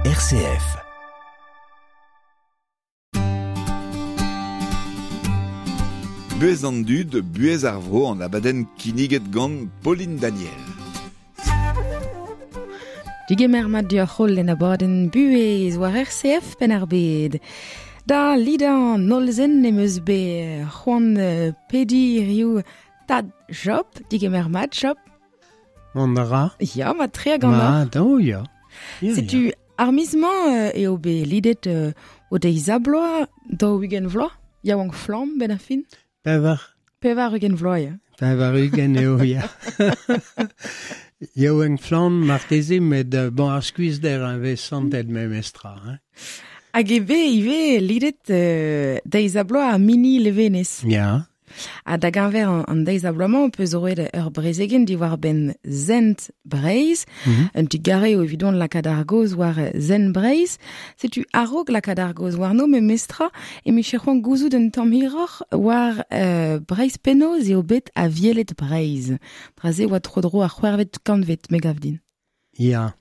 RCF. Buhez an dud, buhez ar vro an abadenn kinniget gant Pauline Daniel. Digemer mat deoc'h holl en abadenn Buhez war RCF Penn-ar-Bed. Da lidañ an holl-zen em eus bet c'hoant pediñ hiziv Tad Job, digemer mat Job. Mont a ra. Ya, mat tre hag an Mat, oh ya. Ya, Setu ya. ar miz-mañ eo bet lidet o deiz-ha-bloaz, 40 vloaz, yaouank flamm benn ar fin. Pevar. 80 vloaz, ya. 80 eo, ya. Yaouank flamm marteze, met bon, ar skuizhder a vez santet memestra. Hein. Hag eo bet ivez lidet deiz-ha-bloaz ar mini levenez. Ya. Ha da geñver an deiz-ha-bloaz-mañ peus roet ur brezegenn diwar-benn Sent Breizh. Mm -hmm. Un digarez eo evidon lakaat ar gaoz war Sent Breizh. Setu a-raok lakaat ar gaoz warno memestra e miche c'hoant gouzout un tamm hiroc'h war uh, Breizh penaos eo bet avielet Breizh. Dra-se oa tro-dro ar c'hwec'hvet kantved, me gav din. Ya.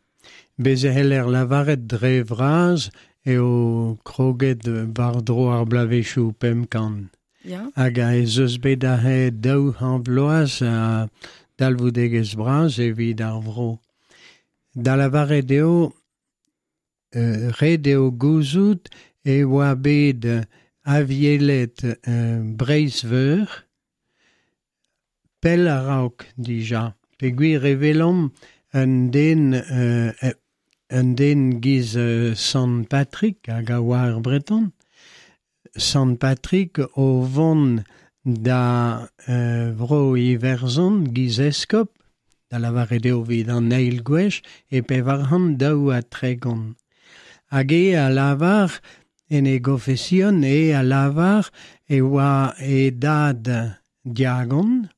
Bez e c'heller lavaret dre vras eo kroget war-dro ar bloavezhioù 500. Ya. Hag ez eus bet aze daou c'hant vloaz a dalvoudegezh bras evit ar vro. Da lavaret eo, ret eo gouzout e oa bet avielet Breizh-Veur pell a-raok dija. Peogwir e welomp un den un den giz Sant Patrick hag a oa ur Breton. Sant Patrick o vont da Vro-Iwerzhon giz eskob, da lavaret eo evit an eil gwech, e 432. Hag e a lavar, en e gofesion, e a lavar e oa e dad diagon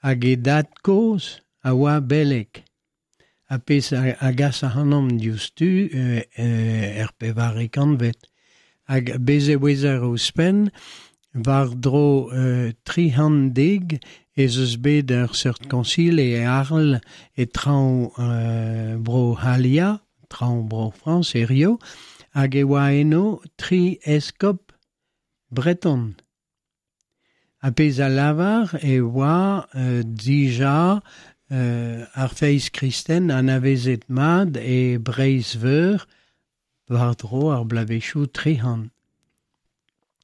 hag e dad-kozh a oa beleg. Ha pezh a gas ac'hanomp diouzhtu er pevare kantved. Hag bez' e ouezer ouzhpenn, war-dro 310 ez eus bet ur seurt koñsil e Arles e traoñ Bro-C'hallia, traoñ Bro-Frañs hiziv, hag e oa eno tri eskob breton. Ha pezh a lavar e oa dija ar feiz kristen anavezet mat e Breizh-Veur war-dro ar bloavezhioù 300.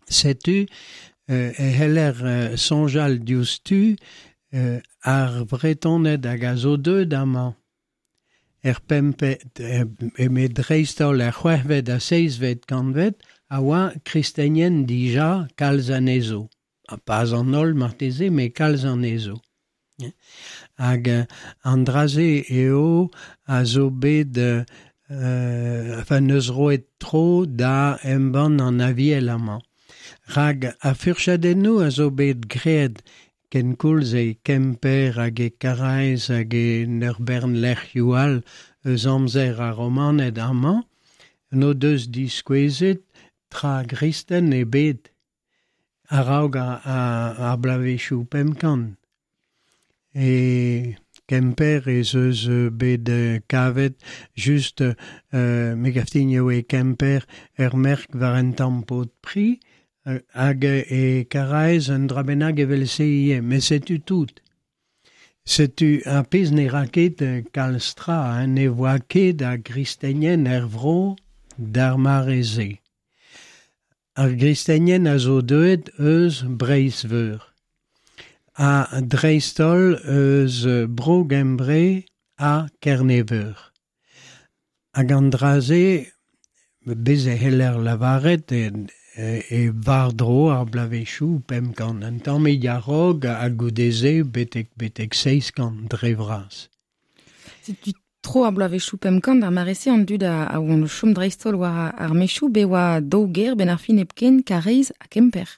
Setu e c'heller soñjal diouzhtu ar Vretoned hag a zo deuet amañ. Er pempet, eme dreist-holl er c'hwec'hvet ha seizhvet kantved a oa kristenien dija kalz anezho. Ha pas an holl marteze, met kalz anezho. Hag an dra-se eo a zo bet enfin neus roet tro da embann an Aviel amañ. Rak ar furchadennoù a zo bet graet kenkoulz e Kemper hag e Karaez hag en ur bern lec'hioù all eus amzer ar Romaned amañ, n'o deus diskouezet tra gristen ebet a-raok ar bloavezhioù 500. E Kemper ez eus bet kavet just me gav din eo e Kemper ur merk war un tamm pod pri hag e Karaez un dra bennak evel-se ivez, met setu tout. Setu ar pezh ne ra ket kalz tra, hein, ne oa ket a gristenien er vro d'ar mare-se. Ar gristenien a zo deuet eus Breizh-Veur ha dreist-holl eus Bro-Gembre ha Kerne-Veur. Hag an dra-se, bez' e c'heller lavaret e war-dro ar bloavezhioù 500, un tammig a-raok ha goude-se betek betek 700 dre vras. Setu tro ar bloavezhioù 500 ar mare-se an dud a oant o chom dreist-holl war ar mechoù bet oa daou gêr benn ar fin hepken, Karaez ha Kemper.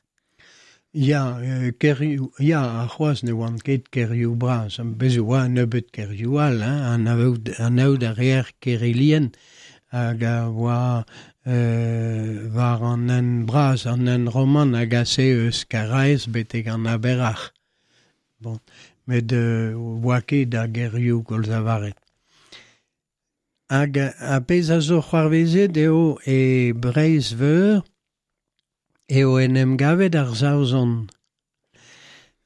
Ya, kêrioù, ya, ha c'hoazh ne oant ket kêrioù bras. Bez' e oa un nebeud kêrioù all, hein, anaout, anaout a reer Kerilien hag a oa war an hent bras, an hent roman a gase eus Karaez betek an Aber-Ac'h. Bon, met oa ket a gêrioù koulz lavaret. Hag a pezh a zo c'hoarvezet eo e Breizh-Veur eo en em gavet ar Saozon.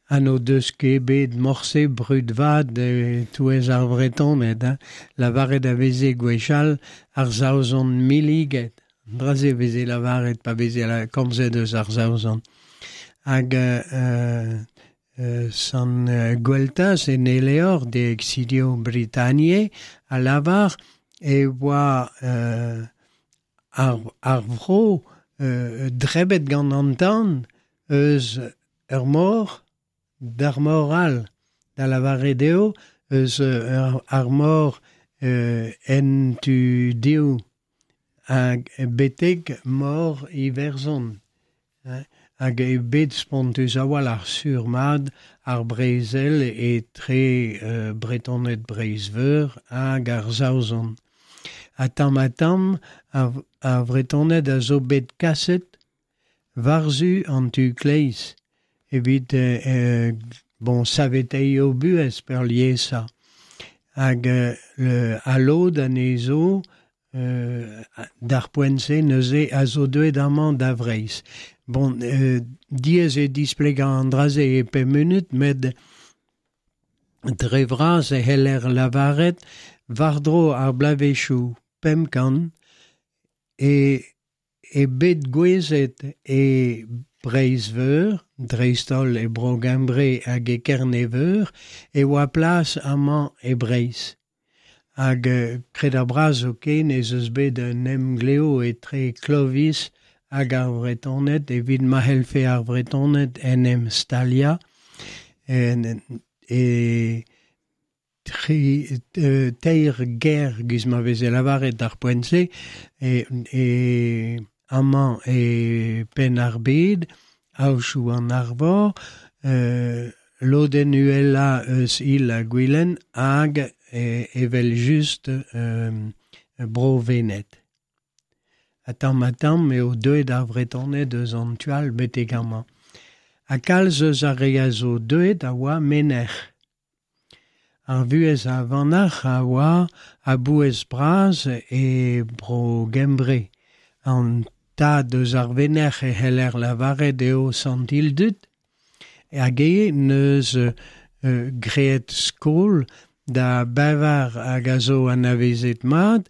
Ha n'o deus ket bet morse brud vat e-touez ar Vretoned, hein. Lavaret a veze gwechall ar Saozon milliget. An dra-se veze lavaret pa veze komzet eus ar Saozon. Hag Sant Gweltaz en e levr De Exilio Britanniae a lavar e oa ar vro drebet gant an tan eus ur mor d'ar mor all, da lavaret eo eus ar mor en tu dehoù hag betek mor Iwerzhon. Hag eo bet spontus a-walc'h sur-mat ar brezel etre Bretoned Breizh-Veur hag ar Saozon. Ha tamm-ha-tamm ar Vretoned a zo bet kaset war-zu an tu kleiz evit bon saveteiñ o buhez peurliesañ. Hag al lod anezho d'ar poent-se neuze a zo deuet amañ da Vreizh. Bon, diaes eo displegañ an dra-se e pemp munut, met dre vras e c'heller lavaret war-dro ar bloavezhioù 500 e bet gouezet e Breizh-Veur, dreist-holl e Bro-Gembre hag e Kerne-Veur, e oa plas amañ e Breizh. Hag kred ar bras zoken ez eus bet un emglev etre Clovis hag ar Vretoned evit ma c'hellfe ar Vretoned en em staliañ e teir gêr giz ma veze lavaret d'ar poent-se e amañ e Penn-ar-Bed, Aochou an Arvor, lodenn uhelañ eus Il-ha-Gwilen hag evel-just Bro-Wened. Ha tamm-ha-tamm eo deuet ar Vretoned eus an tu all betek amañ. Ha kalz eus ar re a zo deuet a oa menec'h. Ar vuhez a vanac'h a oa a-bouez bras e Bro-Gembre. An tad eus ar venec'h e c'heller lavaret eo Sant Ildud, hag eo n'eus graet skol da bevar hag a zo anavezet mat,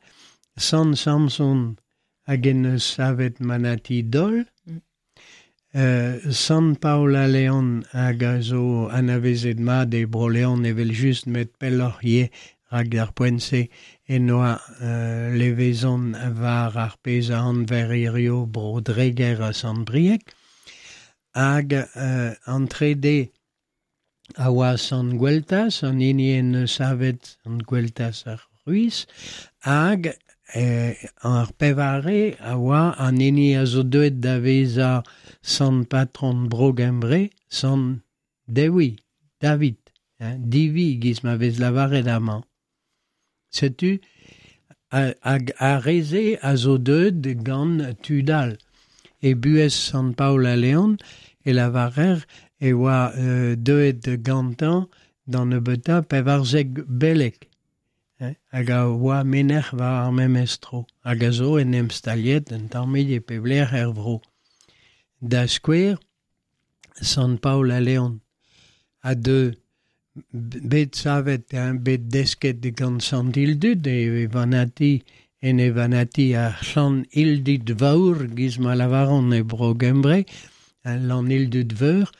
Sant Samson hag en deus savet manati Dol, Sant Paol a Leon hag a zo anavezet mat e Bro-Leon evel-just met pelloc'h ivez rak d'ar poent-se en doa levezon war ar pezh a anver hiziv Bro-Dreger ha Sant-Brieg. Hag an trede a oa Sant Gweltaz, an hini en deus savet Sant Gweltaz ar Ruiz, hag ar pevare a oa an hini a zo deuet da vezañ Sant Patron Bro-Gembre, Sant Dewi, David, Divi giz ma vez lavaret amañ. Setu hag ar re-se a zo deuet gant tud all. E buhez Sant Paol a Leon e lavarer e oa deuet gantañ d'an nebeutañ 14 beleg hag a oa menec'h war ar memes tro hag a zo en em staliet un tammig e pep lec'h er vro. Da skouer, Sant Paol a Leon a deu bet savet, bet desket gant Sant Ildud e vanati en e vanati ar Llan Ildud Vawr, giz ma lavaran e Bro-Gembre, Llan Ildud Veur.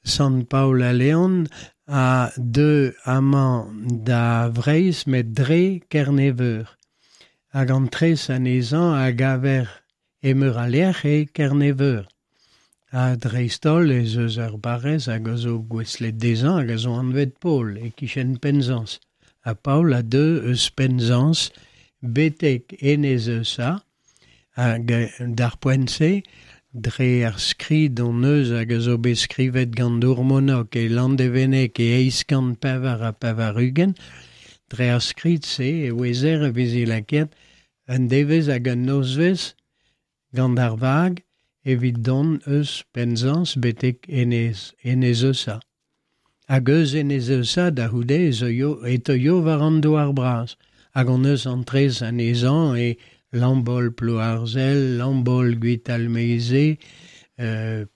Sant Paol a Leon a deu amañ da Vreizh met dre Kerne-Veur. Hag an tres anezhañ a gaver e meur a lec'h e Kerne-Veur. Ha dreist-holl ez eus ur barrez hag a zo gouestlet dezhañ hag a zo anvet Paol e-kichen Penzans. Ha Paol a deu eus Penzans betek Enez Eusa hag d'ar poent-se dre ar skrid hon eus hag a zo bet skrivet gant Dourmonok e Landevenneg e 884, dre ar skrid-se e ouezer e veze lakaet un devezh hag un nozvezh gant ar vag evit dont eus Penzans betek Enez, Enez Eusa. Hag eus Enez Eusa da c'houde e teuio war an douar bras. Hag on eus an trez anezhañ e Lambol Plouarzel, Lambol Gwitalmeze,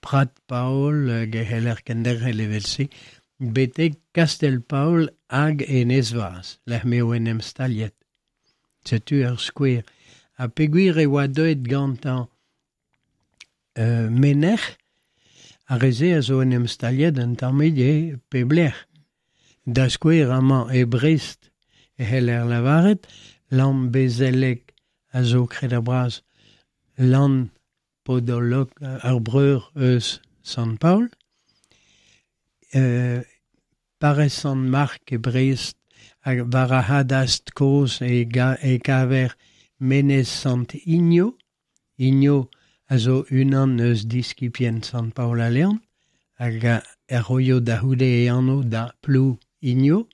Prat Paol, hag e c'heller kenderc'hel evel-se, betek Kastel Paol hag Enez-Vaz, lec'h m'eo en em staliet. Setu ur skouer. Ha peogwir e oa deuet gantañ menec'h, ar re-se a zo en em staliet un tammig e pep lec'h. Da skouer amañ e Brest e c'heller lavaret Lambezelleg a zo kredabl-bras Lann Podolog, ar breur eus Sant-Paol. Parrez Sant-Mark e Brest hag war ar c'hadastr kozh e kaver Menez Sant-Igno. Igno a zo unan eus diskibien Sant-Paol a Leon hag a roio da c'houde e anv da Plou-Igno.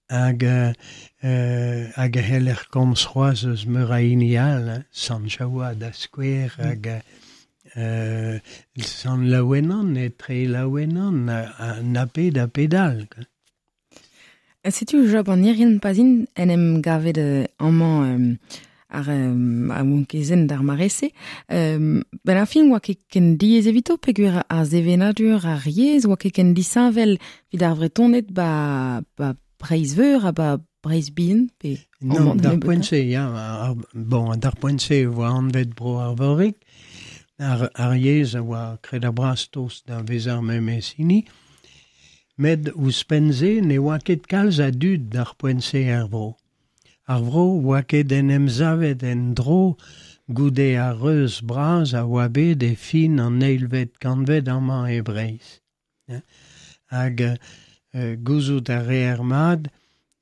Hag hag e c'heller komz c'hoazh eus meur a hini all, Sant Jaoua da skouer hag Sant Laouenan, etre Laouenan na pet ha pet all. Setu Job an Irien pa'z int en em gavet amañ ar ar d'ar mare-se. Ben ar fin oa ket ken diaes evito peogwir ar sevenadur ar yezh oa ket ken disheñvel evit ar Vretoned ba Breizh-Veur ha ba Breizh bihan pe Non, d'ar poent-se, ya. Bon, d'ar poent-se e oa anvet Bro Arvorig. Ar yezh a oa kredabl-bras tost da vezañ memes hini. Met ouzhpenn-se ne oa ket kalz a dud d'ar poent-se er vro. Ar vro oa ket en em savet en-dro goude ar reuz bras a oa bet e fin an eilvet kantved amañ e Breizh. Hag gouzout a reer mat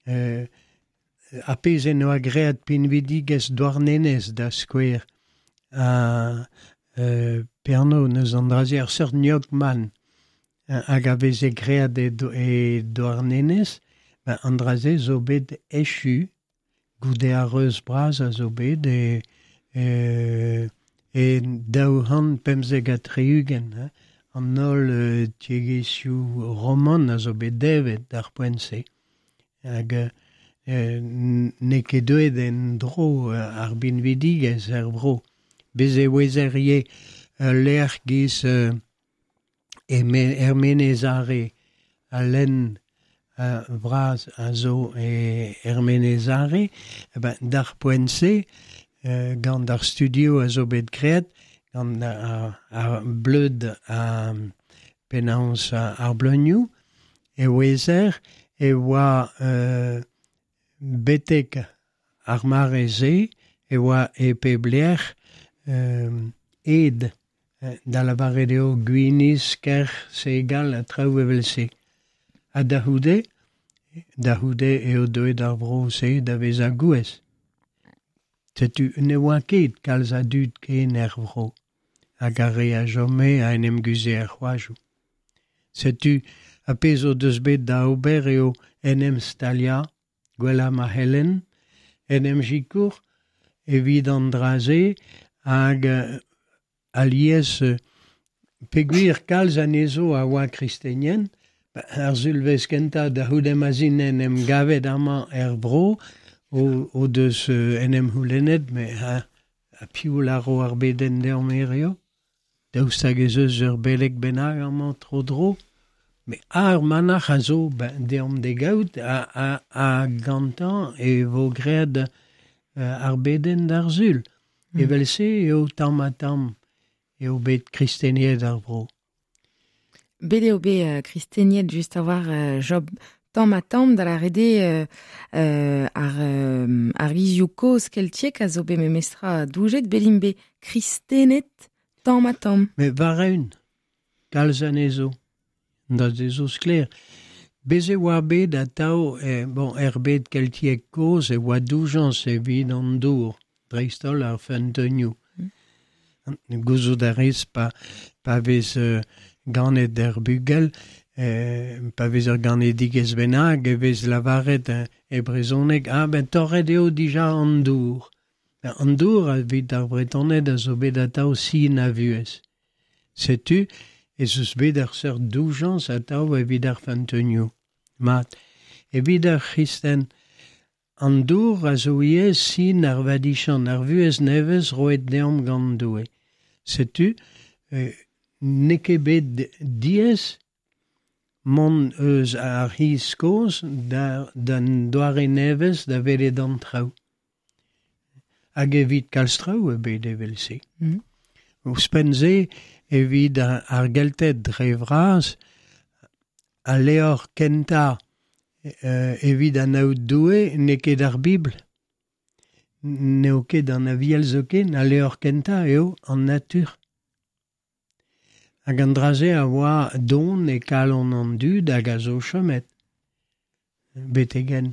ar pezh en doa graet pinvidigezh Douarnenez da skouer ha pe anv neus an dra-se ar seurt gnoc'h-man hag a veze graet e Douarnenez, an dra-se zo bet echu goude ar reuz bras a zo bet e e 275, an holl tiegezhioù roman a zo bet devet d'ar poent-se. Hag n'eo ket deuet en-dro ar binvidigezh er vro. Bez' e ouezer ivez ul lec'h giz er Menez Are, al lenn vras a zo er Menez Are, d'ar poent-se, gant ar studio a zo bet graet, gant ar bleud ha penaos ar bleunioù, e ouezer e oa betek ar mare-se e oa e pep lec'h ed, da lavaret eo gwinizh, kerc'h, segal ha traoù evel-se. Ha da c'houde, da c'houde eo deuet ar vro-se da vezañ gouez. Setu ne oa ket kalz a dud ken er vro, hag ar re a chome a en em guzhe er c'hoajoù. Setu ar pezh o deus bet da ober eo en em staliañ, gwellañ ma c'hellen, en em sikour evit an dra-se hag alies peogwir kalz anezho a oa kristenien, ar sulvezh kentañ da c'houde ma'z int en em gavet amañ er vro o deus en em c'houlennet met ha piv lâro ar bedenn deomp hiziv? Daoust hag ez eus ur beleg bennak amañ tro-dro? Met ar manac'h a zo deomp d'e gaout ha gantañ e vo graet ar bedenn d'ar Sul. Evel-se eo tamm-ha-tamm eo bet kristeniet ar vro. Bet eo bet kristeniet just a-walc'h Job tamm-ha-tamm da lâret eo ar gizioù kozh keltiek a zo bet memestra doujet, bet int bet kristenet tamm-ha-tamm. Met war-eeun, kalz anezho, da se zo sklaer. Bez' e oa bet atav bon, er bed keltiek kozh e oa doujañs evit an dour, dreist-holl ar feunteunioù. Gouzout a rez pa vez ganet er bugel, pa vez ur ganedigezh bennak e vez lavaret e brezhoneg ah ben torret eo dija an dour. An dour evit ar Vretoned a zo bet atav sin a vuhez. Setu ez eus bet ur seurt doujañs atav evit ar feunteunioù. Mat, evit ar c'hristen An dour a zo ivez sin ar vadichant, ar vuhez nevez roet deomp gant Doue. Setu, n'eo ket bet diaes mont eus ar c'hiz kozh d'an doare nevez da welet an traoù. Hag evit kalz traoù eo bet evel-se. Ouzhpenn-se, evit ar Gelted dre vras, al levr kentañ evit anaout Doue n'eo ket ar Bibl. N'eo ket an Aviel zoken, al levr kentañ eo an natur. Hag an dra-se a oa don e kalon an dud hag a zo chomet betek-henn.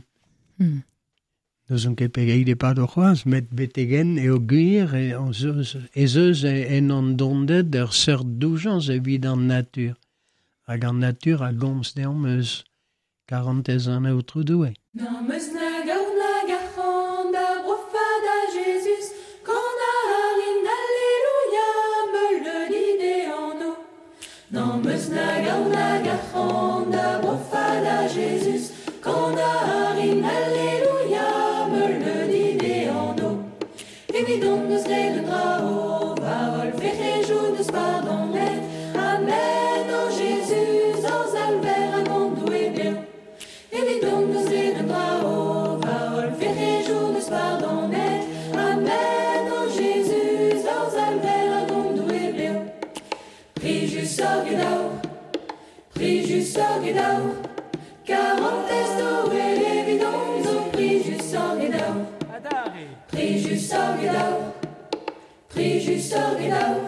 N'ouzon ket pegeit e pado c'hoazh, met betek-henn eo gwir ez eus en hon donded ur seurt doujañs evit an natur. Hag an natur a gomz deomp eus karantez an Aotrou Doue. N'am eus nag aour nag arc'hant da brofañ da Jezuz, Kan a rin Alleluia, meuleudi d'e anv. N'am eus nag aour nag arc'hant da brofañ da Jezuz, Kan a rin Alleluia, meuleudi d'e anv. Evidon n'eus graet un dra, o va holl fec'hejoù n'eus pardonet. Amen, o Jezuz, hor Salver hag hon Doue bev. Evidon n'eus graet un dra, o va holl fec'hejoù n'eus pardonet. Amen, o Jezuz, hor Salver hag hon Doue bev. Plijusoc'h eget aour, plijusoc'h eget aour, karantez Doue evidon zo plijusoc'h eget aour. Plijusoc'h eget aour, plijusoc'h eget aour,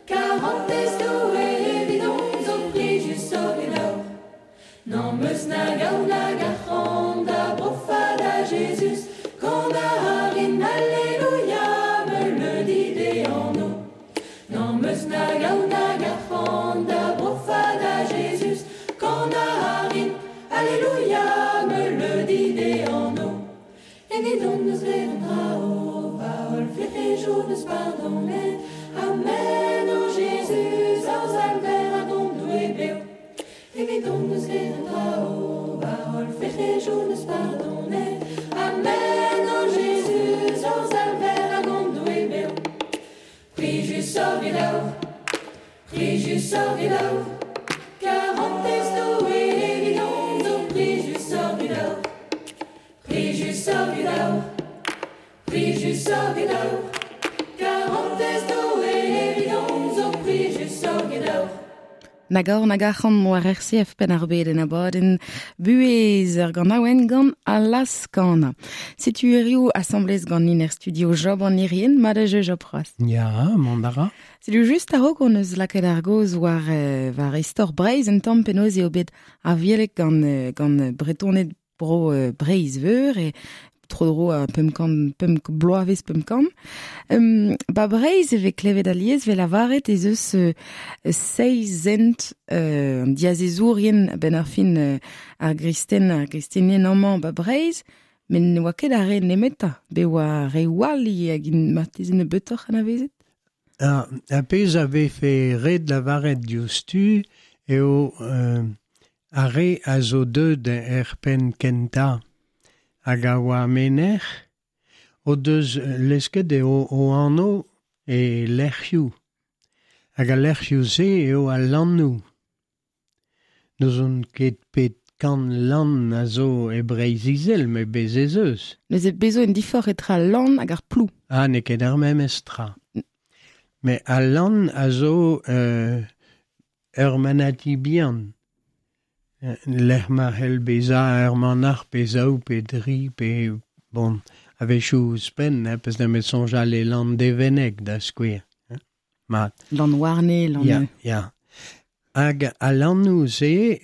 karantez Doue evidon zo plijusoc'h eget aour. N'am eus nag aour nag arc'hant da brofañ da Jezuz, Kan a rin Alleluia, meuleudi d'e anv. N'am eus nag aour nag arc'hant da brofañ da Jezuz, Kan a rin Alleluia, meuleudi d'e anv. Evidon n'eus graet un dra, o va holl fec'hejoù n'eus pardonet. Amen, o Jezuz, hor Salver hag hon Doue bev. Evidon n'eus graet un dra, o va holl fec'hejoù n'eus pardonet. Amen, o Jezuz, hor Salver hag hon Doue bev. Plijusoc'h eget aour, plijusoc'h eget aour, karantez Doue evidon zo plijusoc'h eget aour. Plijusoc'h eget aour, plijusoc'h eget aour, karantez Doue evidon zo plijusoc'h eget aour. Nag aour nag arc'hant war RCF Penn-ar-Bed en abadenn buhez ur ganaouenn gant Allah's Kana. Setu hiziv asambles ganin er studio Job an Irien, mat eo Job c'hoazh. Ya, mont a ra. Setu just a-raok hon eus lakaet ar gaoz war, war istor Breizh un tamm penaos eo bet avielek gant, gant Bretoned bro Breizh-Veur e tro-dro a 500, pemp bloavezh 500. Ba Breizh e vez klevet alies vez lavaret ez eus seizh zent an diazezourien a-benn ar fin ar gristen, ar gristenien amañ ba Breizh, met ne oa ket ar re nemetañ, bet oa reoù all ivez hag int marteze nebeutoc'h anavezet. Ar pezh a vefe ret lavaret diouzhtu eo ar re a zo deuet er penn kentañ hag a oa menec'h o deus lesket eo o anv e lec'hioù. Hag al lec'hioù-se eo al lannoù. N'ouzon ket pet kant lann a zo e Breizh-Izel, met bez' ez eus. Neuze bez' zo un diforc'h etre al lann hag ar plou. Ah, n'eo ket ar memes tra. Met al lann a zo ur manati bihan. Lec'h ma c'hell bezañ ur manac'h pe zaou pe dri pe bon, a-wechoù ouzhpenn, hein, peus nemet soñjal e Landevenneg da skouer. Hein. Mat. Lann-Warne, Lann... Ya, ya. Hag al lannoù-se,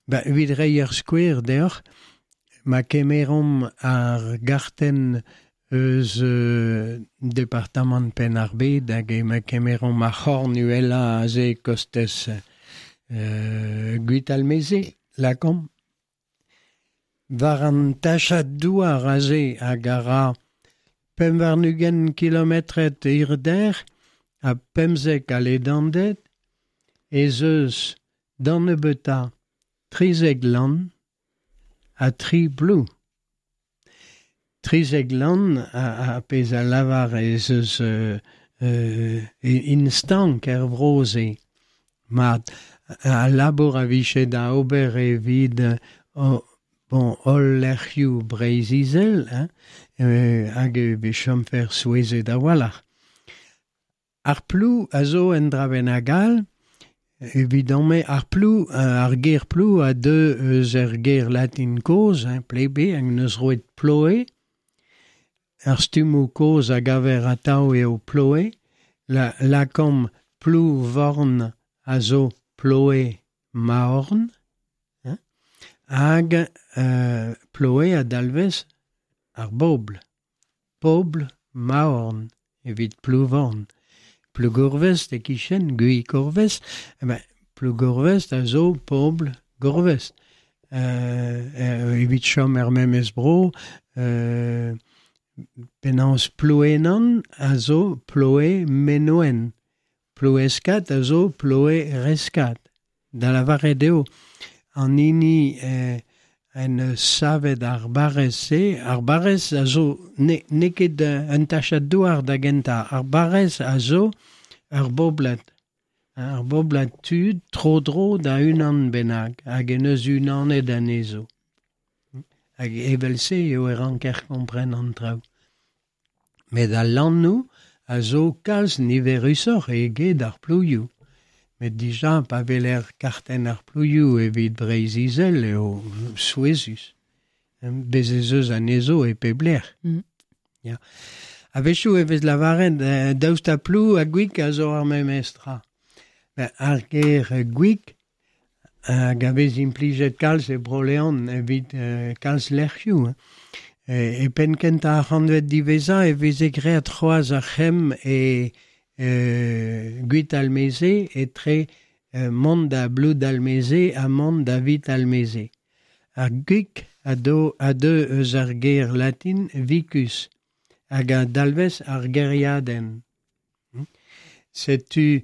ba, evit reiñ ur skouer deoc'h, ma kemeromp ar gartenn eus departamant Penn-ar-Bed hag ma kemeromp ar c'horn uhelañ aze kostez Gwitalmeze, lakaomp. War an tachad douar aze hag a ra 25 kilometred hirder ha 15 a ledanded ez eus d'an nebeutañ 13 lann ha tri plou. Trizek lan a pezh a lavar ez eus instank er vro-se. Mat, a labour a vije da ober evit bon, holl lec'hioù Breizh-Izel, hein, hag e vez chomfer souezhet a-walc'h. Ar plou a zo en dra bennak all, evidemment, ar plou, ar ger plou a deu eus ar ger latin kozh, hein, plebe, hag neus roet ploe. Ar stummoù kozh a gaver atav eo ploe. La, lakomp plou vorn a zo ploe maorn, hein, hag ploe a dalvez ar bobl. Pobl maorn evit Plouvorn. Plougourvest e kichen, Gui-Gourvest, eh ben, Plougourvest a zo pobl Gourvest. Evit chom er memes bro, penaos Plouenan a zo Ploe Menoen. Plouescat a zo Ploe Rescat. Da lavaret eo, an hini en savet ar barrez-se, ar barrez a zo n'eo ket un tachad douar da gentañ, ar barrez a zo ur boblad. Ar boblad tud tro-dro da unan bennak, hag en eus unanet anezho. Hag evel-se eo e ranker kompren an traoù. Met al lannoù a zo kalz niverusoc'h eget ar plouioù. Met dija pa weler kartenn ar plouioù evit Breizh-Izel eo souezhus. Bez ez eus anezho e pep lec'h. Ya. A-wechoù e vez lavaret daoust ha plou ha gwik a zo ar memes tra. Ben, ar ger gwik hag a vez implijet kalz e Bro-Leon evit kalz lec'hioù. E penn kentañ ar c'hantved diwezhañ e veze graet c'hoazh ar c'hemm e Gwitalmeze etre mont da Bloudalmeze ha mont da Witalmeze. Ar gwik a deu eus ar ger latin vicus hag a dalvez ar gêriadenn. Setu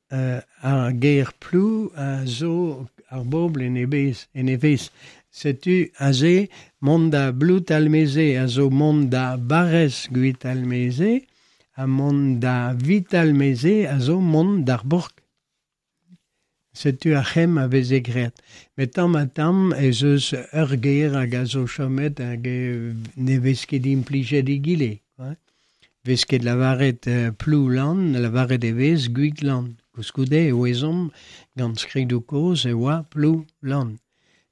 ar ger plou a zo ar bobl en e bez, en e vez. Setu aze mont da Bloudalmeze a zo mont da barrez Gwitalmeze ha mont da Witalmeze a zo mont d'ar bourk. Setu ar c'hemm a veze graet. Met tamm ha tamm ez eus ur ger hag a zo chomet hag ne vez ket implijet egile. Vez ket lavaret Ploulan, lavaret e vez Gwiglan. Koulskoude e ouezomp gant skridoù kozh e oa Ploulan.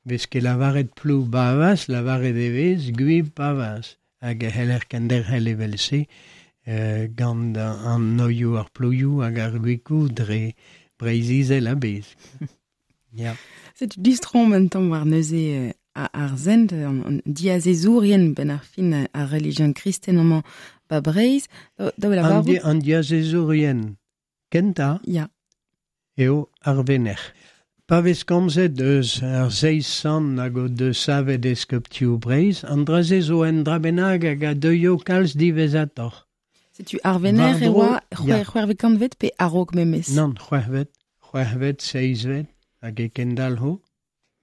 Vez ket lavaret Ploubavaz, lavaret e vez Gwipavaz. Hag e c'heller kenderc'hel evel-se gant an noioù ar plouioù hag ar gwikoù dre Breizh-Izel a-bezh. Ya. Setu distro un tamm war neuze ar sent, an diazezourien benn ar fin ar relijion kristen amañ ba Breizh. Da lavarout... An diazezourien kentañ ya. eo ar venec'h. Pa vez komzet eus ar seizh sant hag o deus savet eskoptioù Breizh, an dra-se zo un dra bennak hag a deuio kalz diwezhatoc'h. Setu ar venec'h e oa c'hwec'hvet kantved pe a-raok memes? Nann, c'hwec'hvet, c'hwec'hvet, seizhvet, hag e kendalc'ho.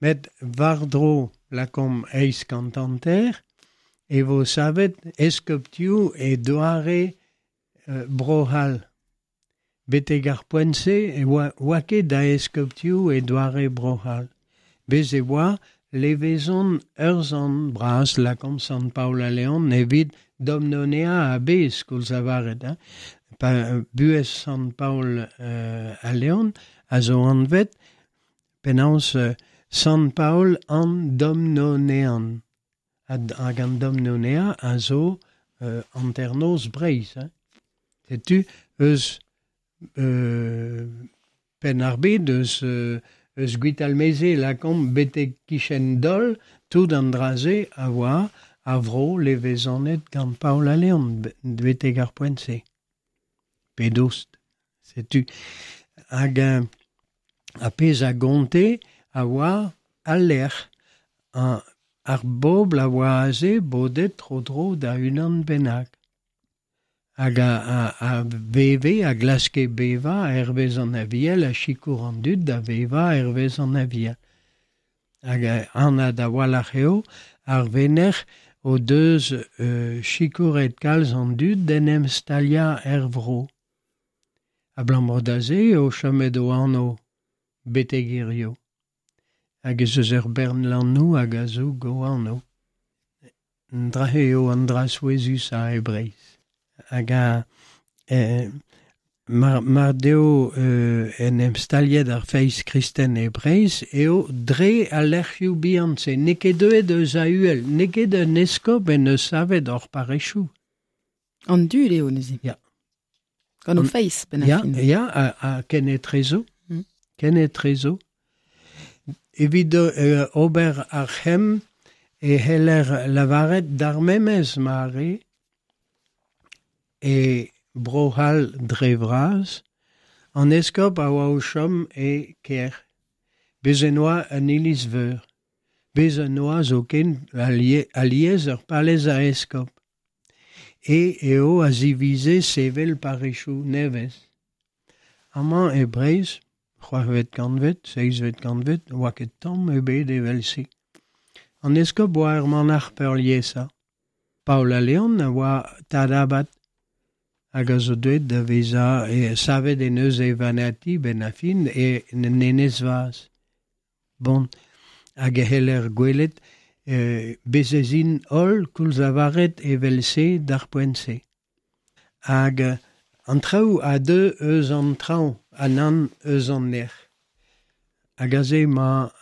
Met war-dro lakomp eizh kant hanter e vo savet eskoptioù e doare Bro-C'hall. Betek ar poent-se e oa ket da eskoptioù e doare Bro-C'hall. Bez e oa levezon ur sant bras lakomp Sant Paol a Leon evit Domnonea a-bezh koulz lavaret. Hein. Pa buhez Sant Paol a Leon a zo anvet penaos Sant Paol an Domnonean. Hag an Domnonea a zo hanternoz Breizh. Hein. Setu eus penn ar bed eus eus Gwitalmeze lakomp betek kichen Dol, tout an dra-se a oa a vro levezonet gant Paol a Leon betek ar poent-se. Pe dost, setu. Hag a pezh a gonte a oa al lec'h. Ar bobl a oa aze bodet tro-dro da unan bennak. Hag a veve, a glaske bevañ hervez an aviel, a sikour an dud da vevañ hervez an aviel. Hag anat a-walc'h eo, ar venec'h o deus sikouret kalz an dud d'en em staliañ er vro. Abalamour da se eo chomet o anv betek hiziv. Hag ez eus ur bern lannoù hag a zoug o anv. An dra-se eo an dra souezhusañ e Breizh. Hag a mar deo en em staliet ar feiz kristen e Breizh eo dre al lec'hioù bihan-se. N'eo ket deuet eus a-uhel, n'eo ket un eskob en deus savet hor parrezioù. An dud eo neuze. Ya. Gant o feiz, benn ar fin. Ya, ha ken etrezo. Ken etrezo. Evit ober ar c'hemm e c'heller lavaret d'ar memes mare e Bro-C'hall dre vras, an eskob a oa o chom e kêr. Bez' en oa un iliz-veur. Bez' en oa zoken alies ur palez a eskob. E eo a zivize sevel parrezioù nevez. Amañ e Breizh, c'hwec'hvet kantved, seizhvet kantved, oa ket tamm ebet evel-se. An eskob oa ur manac'h peurliesañ. Paol a Leon a oa tad abad hag a zo deuet da vezañ savet en eus e vanati benn ar fin e Enez-Vaz. Bon, hag e c'heller gwelet bez' ez int holl koulz lavaret evel-se d'ar poent-se. Hag an traoù a deu eus an traoñ ha nann eus an nec'h. Hag aze emañ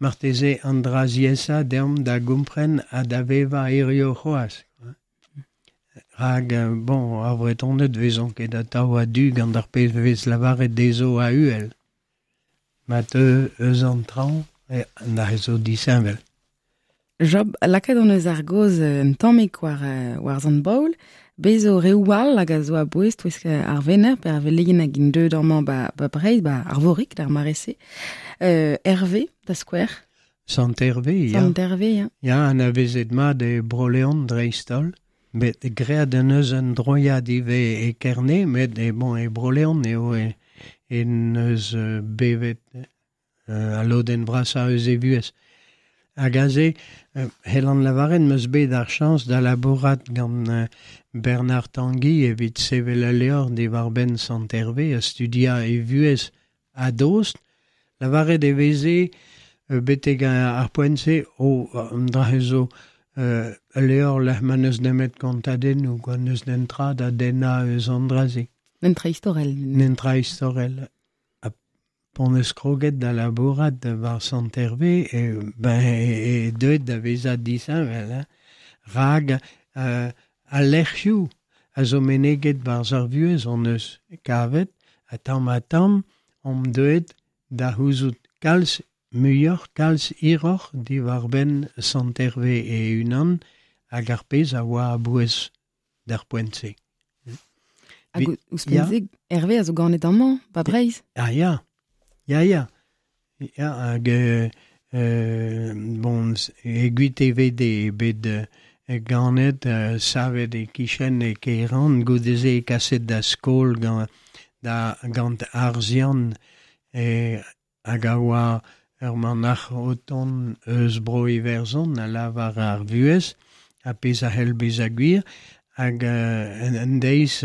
marteze an dra ziaesañ deomp da gompren ha da vevañ hiziv c'hoazh. Rak, bon, ar Vretoned 'vezont ket atav a-du gant ar pezh 'vez lavaret dezho a-uhel. Ma teu eus an traoñ, na zo disheñvel. Job, lakaet hon eus ar gaoz un tammig war, war Sant Baol. Bez zo reoù all hag a zo a-bouez touesk ar Wener, pe ar veleien hag int deuet amañ ba, ba Breizh, ba Arvorig d'ar mare-se. Hervé, da skouer. Sant Hervé, ya. Sant Hervé, ya. Ya, anavezet mat e Bro-Leon dreist-holl. Bet graet en eus un droiad ivez e Kerne, met e, bon, e Bro-Leon eo e, en eus bevet al lodenn vrasañ eus e vuhez. Hag aze, c'hellan lavaret 'm eus bet ar chañs da labourat gant Bernard Tanguy evit sevel ul levr diwar-benn Sant Hervé ha studiañ e vuhez a-dost. Lavaret e veze betek ar poent-se o an dra-se zo ul levr lec'h ma n'eus nemet kontadennoù, kwa, n'eus netra da dennañ eus an dra-se. Netra istorel. Netra istorel. Ha p'on eus kroget da labourat war Sant Hervé, e, ben, e deuet da vezañ disheñvel, hein. Rak al lec'hioù a zo meneget barzh ar vuhez hon eus kavet, ha tamm-ha-tamm omp deuet da c'houzout kalz muioc'h, kalz hiroc'h diwar-benn Sant Hervé e-unan hag ar pezh a oa a-bouez d'ar poent-se. Hag ouzhpenn-se, Hervé a zo ganet amañ, ba Breizh. Ah ya, ya, ya. Ya, hag bon, e Gwitevede eo bet ganet, savet e-kichen e Keran, goude-se kaset da skol gant, da, gant Arzian, hag a oa ur manac'h o tont eus Bro-Iwerzhon a lavar ar vuhez, ha pezh a c'hell bezañ gwir, hag un deiz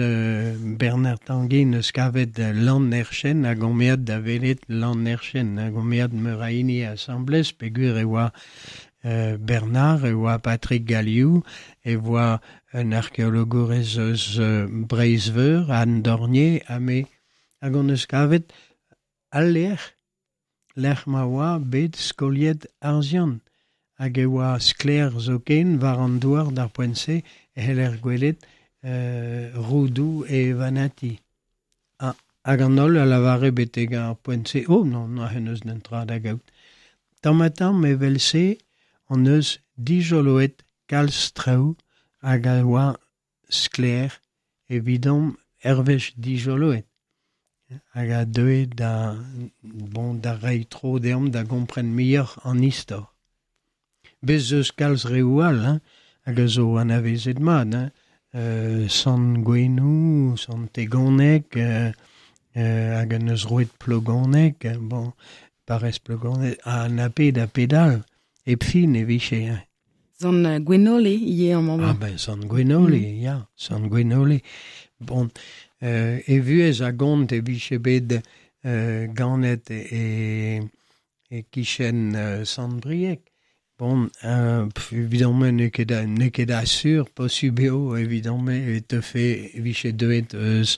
Bernard Tanguy 'neus kavet Lann-Erchen hag omp aet da welet Lann-Erchen, hag omp aet meur a hini asambles peogwir e oa Bernard, e oa Patrick Galliou, e oa un arkeologourez eus Breizh-Veur, Anne Dornier, ha me. Hag hon eus kavet al lec'h, lec'h ma oa bet skoliet Arzian. Hag e oa sklaer zoken war an douar d'ar poent-se e c'heller gwelet roudoù e vanati. Hag an holl a lavare betek ar poent-se, oh non, n'ac'h eus netra da gaout. Tamm-ha-tamm evel-se hon eus dijoloet kalz traoù hag a oa sklaer evidomp hervez dijoloet. Hag a deue da, bon, da reiñ tro deomp da gompren muioc'h an istor. Bez' eus kalz reoù all, hein, hag a zo anavezet mat, hein. Sant Gouenoù, Sant Tegoneg, hag en eus roet Plogoneg, bon, parrez Plogoneg, ha na pet ha pet all, hep fin e vije, hein. Sant Gwenole ivez amañ. Ah ben, Sant Gwenole, ya, Sant Gwenole. Bon, e vuhez a gont e vije bet ganet e e-kichen Sant-Brieg. Bon, evidon-me n'eo ket n'eo ket asur, posubl eo evidon-me e teufe e vije deuet eus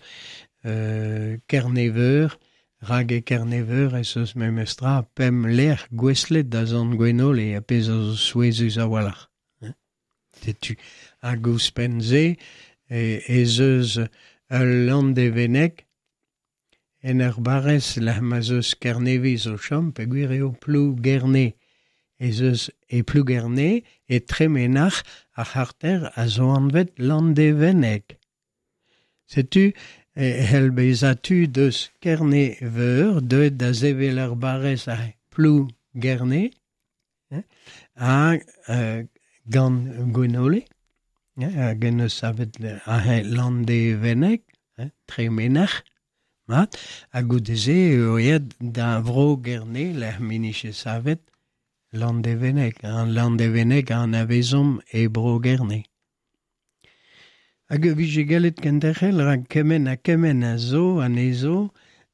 Kerneveur, rak e Kerneveur ez eus memestra pemp lec'h gouestlet da Sant Gwenole, ar pezh a zo souezhus a-walc'h. Setu. Hag ouzhpenn-se ez eus ul Landevenneg en ur barrez lec'h ma'z eus Kerneviz o chom peogwir eo Plougerne. Ez eus e Plougerne e Tremenac'h ar c'harter a zo anvet Landevenneg. Setu e c'hell bezañ tud eus Kerne-Veur deuet da sevel ur barrez a Plougerne ha gant Gwenole hag en deus savet aze Landevenneg, Tremenac'h. Mat, ha goude-se eo aet da Vro-Gerne lec'h m'en-dije savet Landevenneg. An Landevenneg a anavezomp e Bro-Gerne. Hag e vije gallet kenderc'hel rak kement ha kement a zo anezho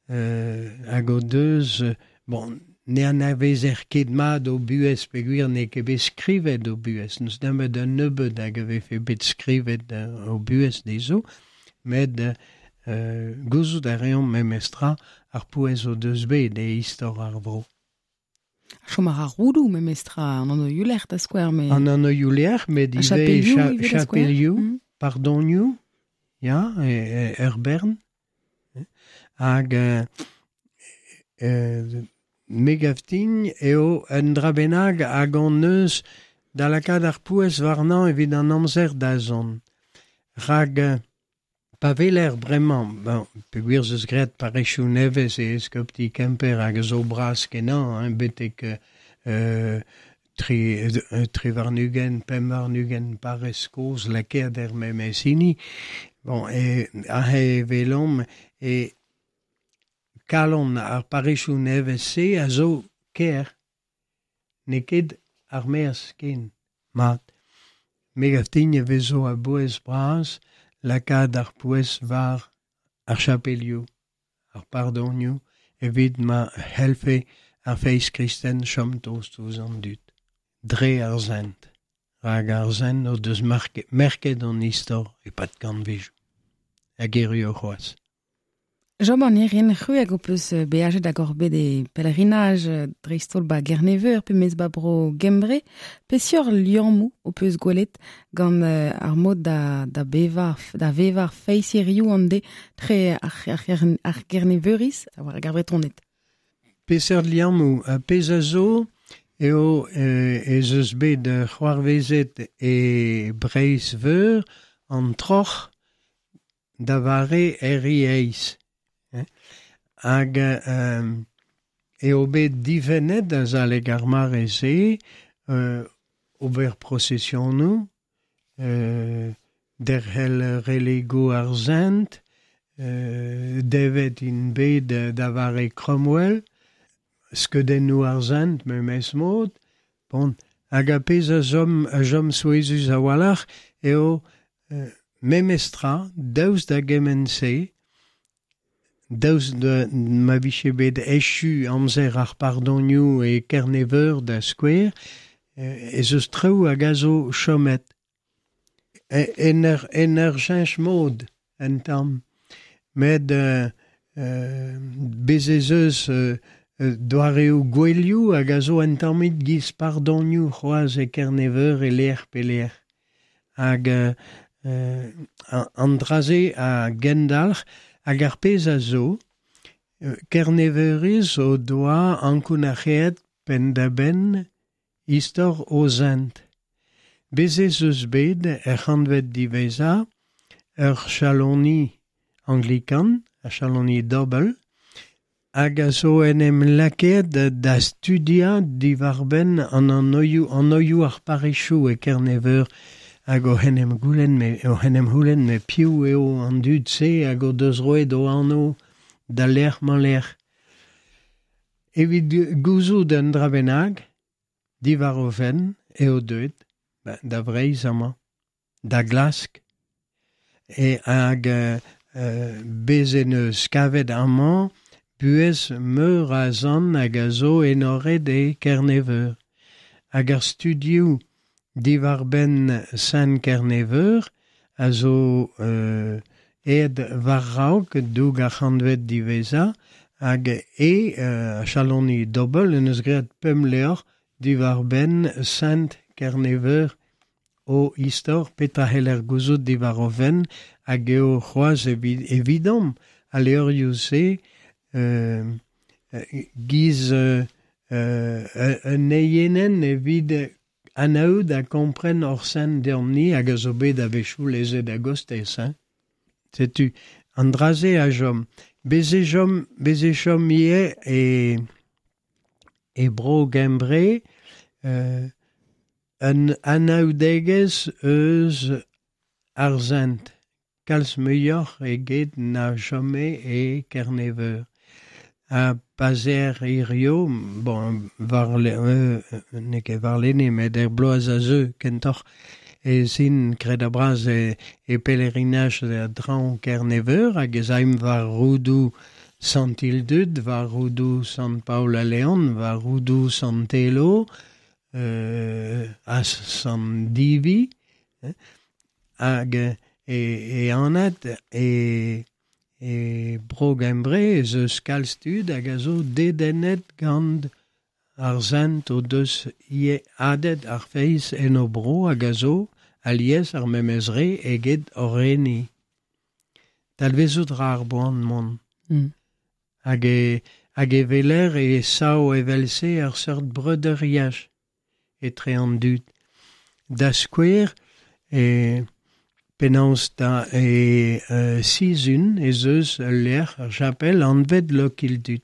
hag o deus bon, ne anavezer ket mat o buhez peogwir n'eo ket bet skrivet o buhez. N'eus nemet un nebeud hag a vefe bet skrivet o buhez dezho, met gouzout a reomp memestra ar pouez o deus bet e istor ar vro. Chom a ra roudoù memestra an anv-lec'h da skouer. Met... An anv-lec'h, met ivez chapelioù, pardonioù, ya, ur bern. Hag me gav din eo un dra bennak hag hon eus da lakaat ar pouez warnañ evit an amzer da zont. Rak pa weler bremañ, bon, peogwir ez eus graet parrezioù nevez e eskopti Kemper hag a zo bras-kenañ, hein, betek tri warn-ugent, pemp warn-ugent parrez kozh lakaet er memes hini. Bon, e, aze e welomp e kalon ar parrezioù nevez-se a zo kêr, n'eo ket ar maez ken. Mat, me gav din e vezo a-bouez bras lakaat ar pouez war ar chapelioù, ar pardonioù, evit ma c'hellfe ar feiz kristen chom tost ouzh an dud, dre ar sent. Rak ar sent o deus merket an istor e-pad kantvedoù. Hag erru c'hoazh. Job an Irien, c'hwi hag ho peus beajet hag oc'h bet e pèlerinaj dreist-holl ba Gerneveur pe mes ba bro Gembre, peseurt liammoù ho peus gwelet gant ar mod da, da bevañ da vevañ ar feiz hiziv an deiz tre ar Gerneveuriz hag ar Vretoned? Peseurt liammoù? Pezh a zo eo ez eus bet c'hoarvezet e Breizh-Veur an troc'h da vare Herri Eizh. Hag eo bet difennet azalek ar mare-se ober prosesionoù, derc'hel relegoù ar sent, devet int bet da vare Cromwell, skeudennoù ar sent memes mod. Bon, hag ar pezh a chom souezhus a-walc'h eo memestra, daoust da gement-se, daoust da ma vije bet echu amzer ar pardonioù e Kerneveur da skouer, ez eus traoù hag a zo chomet. En ur cheñch mod un tamm. Met bez ez eus doareoù gouelioù hag a zo un tammig giz pardonioù c'hoazh e Kerneveur e lec'h pe lec'h. Hag an dra-se a gendalc'h hag ar pezh a zo, Kerneveuriz o doa ankounac'haet penn-da-benn istor o zent. Bez ez eus bet er c'hantved diwezhañ ur chaloni anglikan, ar chaloni Dobel, hag a zo en em lakaet da studiañ diwar-benn an anvioù ar parrezioù e Kerneveur hag oc'h en em c'houlenn me piv eo an dud-se hag o deus roet o anv da lec'h-mañ-lec'h. Evit gouzout un dra bennak, diwar o fenn eo deuet Da Vreizh amañ, da glask. E hag bez en eus kavet amañ buhez meur a zant hag a zo enoret e Kerneveur. Hag ar studioù diwar-benn Sent Kerneveur a zo aet war-raok doug ar c'hantved diwezhañ hag e chaloni Dobel en eus graet pemp levr diwar-benn Sent Kerneveur o istor petra c'heller gouzout diwar o fenn hag eo c'hoazh evidomp al levrioù-se giz un eienenn evit anaout ha kompren hor sent deomp-ni hag a zo bet a-wechoù lezet a-gostez. Hein. Setu, an dra-se a chom. Bez e chom, bez e chom ivez e Bro-Gembre un anaoudegezh eus ar sent, kalz muioc'h eget na chome e Kerneveur. Ha pa 'z eer hirio, bon, war n'eo ket warlene met er bloaz a zeu kentoc'h ez int kredabl-bras e pelerinaj da draoñ Kerneveur hag ez aimp war roudoù Sant Ildud, war roudoù Sant Paol a Leon, war roudoù Sant Telo, ha Sant Divi, hag e anat e Bro-Gembre ez eus kalz tud hag a zo dedennet gant ar sent o deus ivez hadet ar feiz en o bro hag a zo alies ar memes re eget hor re-ni. Talvezout ra ar boan mont. Hag e weler e sav evel-se ur seurt breudeuriaj etre an dud. Da skouer, e penaos da e Sizun ez eus ul lec'h, ur chapel anvet Lokildud.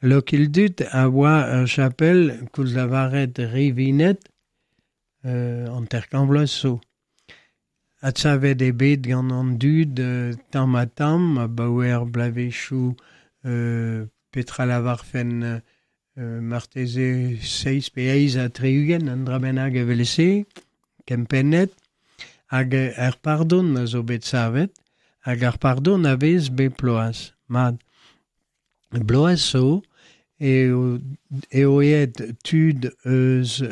Lokildud a oa ur chapel koulz lavaret rivinet hanter-kant vloaz zo. Adsavet eo bet gant an dud tamm-ha-tamm abaoe ar bloavezhioù petra lavarfen marteze seizh pe eizh ha tri-ugent, un dra bennak evel-se, kempennet. Hag ar pardon a zo bet savet, hag ar pardon a vez bep bloaz. Mat, bloaz zo eo aet tud eus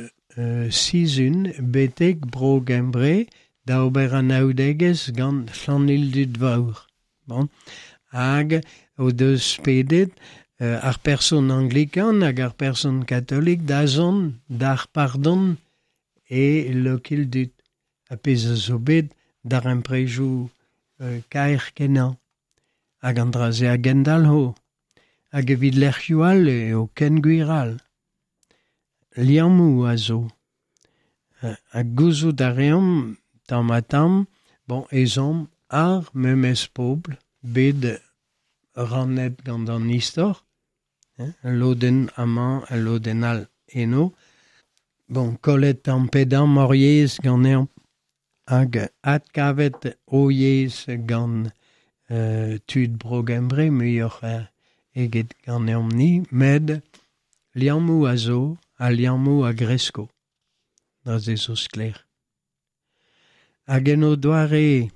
Sizun betek Bro-Gembre da ober anaoudegezh gant Llanildud Vawr. Bon. Hag o deus pedet ar person anglikan hag ar person katolik da zont d'ar pardon e Lokildud. A pezh a zo bet darempredoù kaer-kenañ. Hag an dra-se a gendalc'ho. Hag evit lec'hioù all eo ken gwir all. Liammoù a zo. Ha gouzout a reomp tamm-ha-tamm, bon, ez omp ar memes pobl bet rannet gant an istor, ul lodenn amañ, ul lodenn all eno. Bon, kollet tamm pe damm hor yezh ganeomp hag adkavet o yezh gant tud Bro-Gembre muioc'h eget ganeomp-ni, met liammoù a zo ha liammoù a gresko. Dra-se zo sklaer. Hag en o doare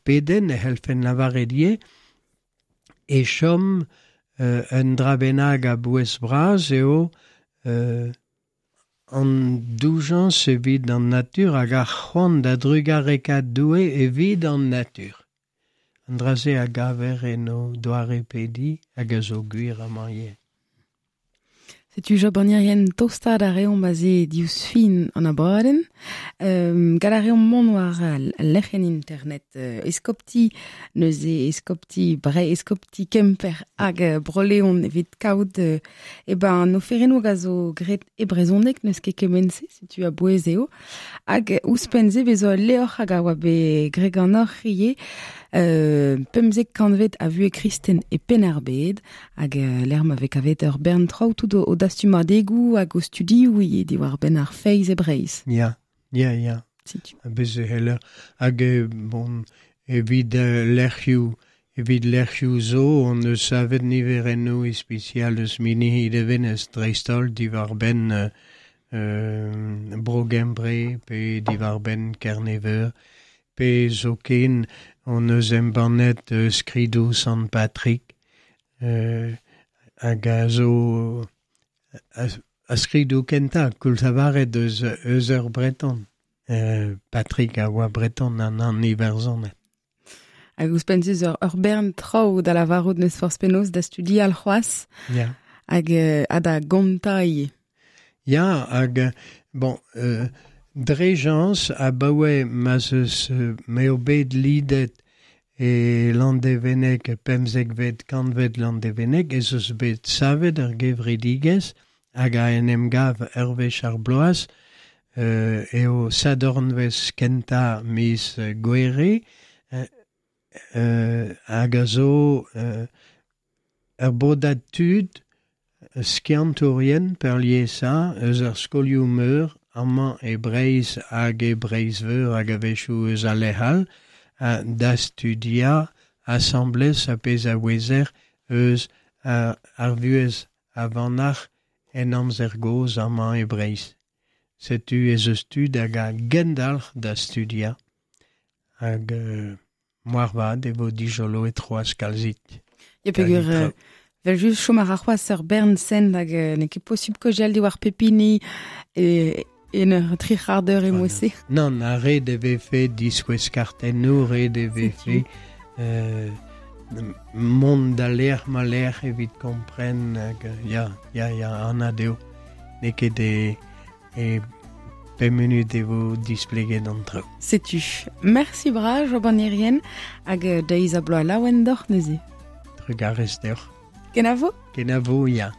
pedenn e c'hellfen lavaret ivez e chom un dra bennak a-bouez bras eo an doujañs evit an natur hag ar c'hoant da drugarekaat Doue evit an natur. An dra-se a gaver en o doare pediñ hag a zo gwir amañ ivez. Setu Job an Irien tostaat a reomp aze diouzh fin an abadenn. Gall a reomp mont war al lec'hienn internet eskopti, neuze eskopti Bre, eskopti Kemper hag Bro-Leon evit kaout e ben an oferennoù a zo graet e brezhoneg, n'eus ket kement-se, setu a-bouez eo. Hag ouzhpenn-se bezo ul levr hag a oa bet graet ganeoc'h ivez, pemzek kantved a vuhez kristen e Penn-ar-Bed, hag lec'h ma vez kavet ur bern traoù tout o dastumadegoù hag o studioù ivez diwar-benn ar feiz e Breizh. Ya, ya, ya. Setu. Bez e c'heller. Hag bon, evit lec'hioù zo, on eus savet niverennoù ispisial eus Minihi Levenez dreist-holl diwar-benn bro Gembre pe diwar-benn Kerneveur, pe zoken hon eus embannet skridoù Sant Patrick, hag a zo a skridoù kentañ koulz lavaret eus eus ur Breton. Patrick a oa Breton an an Iwerzhoned. Hag ouzhpenn se zo ur bern traoù da lavarout n'eus forzh penaos da studial c'hoazh. Ya. Hag ha da gontañ ivez. Ya, hag bon, dre jañs abaoe ma'z eus m'eo bet lidet e Landevenneg, pemzekvet kantved Landevenneg, ez eus bet savet ur gevredigezh hag a en em gav ur wech ar bloaz, eo sadornvezh kentañ miz Gouere, hag a zo ur bodad tud skiantourien peurliesañ eus ar skolioù-meur amañ e Breizh hag e Breizh-Veur hag a-wechoù eus al lec'h all, da studiañ asambles ar pezh a ouezer eus ar vuhez a vanac'h en amzer gozh amañ e Breizh. Setu ez eus tud hag a gendalc'h da studiañ hag moarvat e vo dijoloet c'hoazh kalzik. Ya peogwir vel just chom a ra c'hoazh ur bern sent hag n'eo ket posubl kaozeal diwar pep hini en ur tri c'hard eur emo-se. Nann, ha ret e vefe diskouez kartennoù, ret e vefe mont da lec'h ma lec'h evit kompren hag ya, ya, ya, anat eo. N'eo ket e, e pemp munut e vo displeget an traoù. Setu. Mersi bras, Job an Irien, hag deiz ha bloaz laouen deoc'h neuze. Trugarez deoc'h. Kenavo? Kenavo, ya.